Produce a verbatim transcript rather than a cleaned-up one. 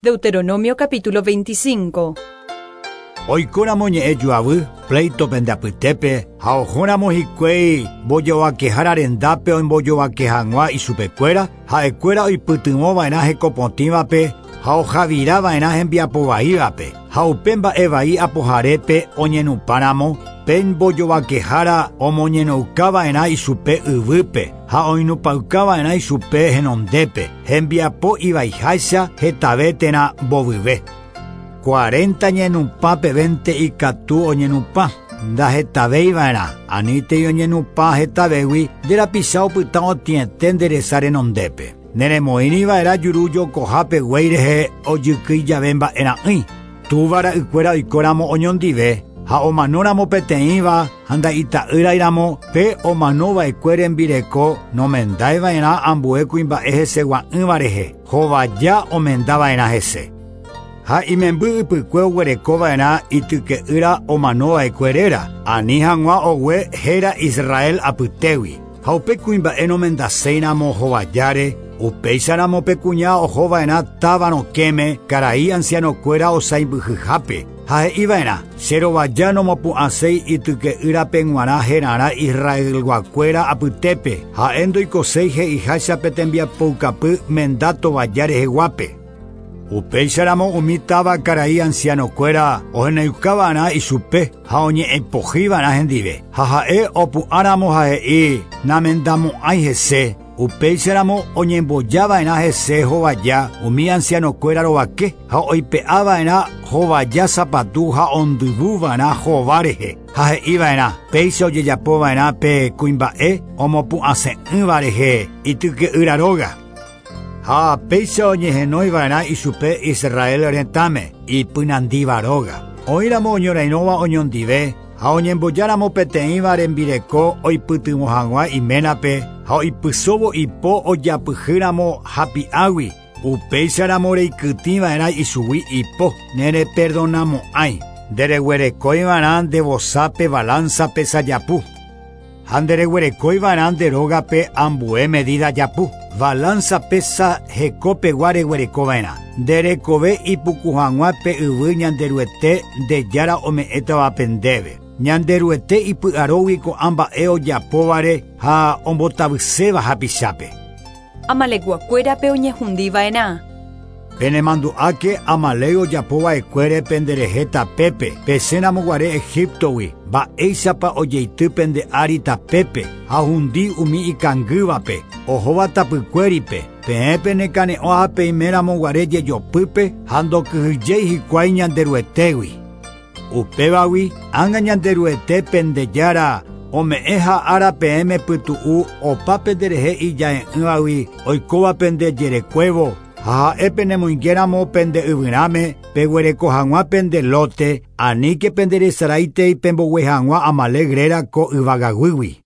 Deuteronomio capítulo veinticinco. Oikóramo ñe'ẽ joavy, pleito pende apytépe, ha ohóramo hikuái mbojovakehára rendápe ombojovake hag̃ua ichupekuéra, ha'ekuéra oipytyvõva'erã hekopotĩvape ha ohavirava'erã hembiapovaívape, ha upe mba'evai apoharépe oñenupãramo, pe mbojovakehára omoñenoukava'erã ichupe yvýpe ha oinupãukava'erã ichupe henondépe, hembiapo ivaiháicha hetave térã mbovyve. Cuarenta ñenupã pevénte ikatu oñenupã, ndahetavéiva'erã, anítei oñenupã hetavégui nde rapicha opyta otĩete nde resa renondépe. Neremoĩriva'erã juru jokohápe guéi rehe ojykýi jave mba'era'ỹi. Túva ra'ykuéra oikóramo oñondive ha omanóramo peteĩva ha nda'ita'ýrairamo pe omanova'ekue rembireko nomendaiva'erã ambue kuimba'e hesegua'ỹva rehe, hovaja omendava'erã hese. Ha imemby ypykue oguerekova'erã ityke'ýra omanova'ekue réra, ani hag̃ua ogue héra Israel apytégui. Ha upe kuimba'e nomendaséiramo hovajáre, upéicharamo pe kuña ohova'erã táva rokẽme karai ancianokuéra osãimbyhyhápe. Ha he'iva'erã, che rovaja nomopu'ãséi ityke'ýrape g̃uarã herarã Israelguakuéra apytépe, ha'e ndoikoséi he'iháicha pe tembiapoukapy menda tovaja reheguápe. Upéicharamo umi táva karai ancianokuéra oheneukava'erã ichupe ha oñe'ẽpohýva'erã hendive. Ha ha'e opu'ãramo ha he'i namendamo'ãi hese, upéicharamo oñembojava'erã hese hovaja umi ancianokuéra rovake ha oipe'ava'erã hovaja sapatu ha ondyvuva'erã hova rehe. Ha he'iva'erã péicha ojejapova'erã pe kuimba'e omopu'ãse'ỹva rehe ityke'ýra róga. Ha péicha oñehenóiva'erã ichupe Israel retãme ipynandíva róga. Oĩramo oñorairõva oñondive ha oñembojáramo peteĩva rembireko oipytyvõ hag̃ua iménape ha oipysóvo ipo ojapyhýramo hapi'águi, upéicharamo reikytĩva'erã ichugui ipo nereperdonamo'ãi. Ndereguerekóiva'erã nde vosápe balanza pesa japu. Ha ndereguerekóiva'erã nde rógape ambue medida japu. Balanza pesa hekopegua reguerekova'erã. Nderekove ipuku hag̃ua pe yvy Ñanderuete nde jára ome'ẽtavape ndéve. Ñanderuete ipy'arógui ko'ã mba'e ojapóvare ha ombotavyséva hapichápe. Amalekguakuérape oñehundiva'erã. Penemandu'áke Amalek ojapova'ekuére penderehe tapépe, pesẽramoguare Egiptogui, mba'éichapa ojeity pende ári tapépe ha hundi umi ikangývape, ohóva tapykuéripe, peẽ penekane'õ ha peimeramoguare jejopýpe ha ndokyhyjéi hikuái Ñanderuetégui. Upévagui ág̃a Ñanderuete pende jára ome'ẽ ha ára peẽme pytu'u opa penderehe ija'e'ỹvagui oikóva pende jerekuévo, ha ha'e penemoingéramo pende yvyrãme peguereko hag̃ua pende lote, aníke penderesaraitei pembogue hag̃ua Amalek réra ko yvagaguýgui.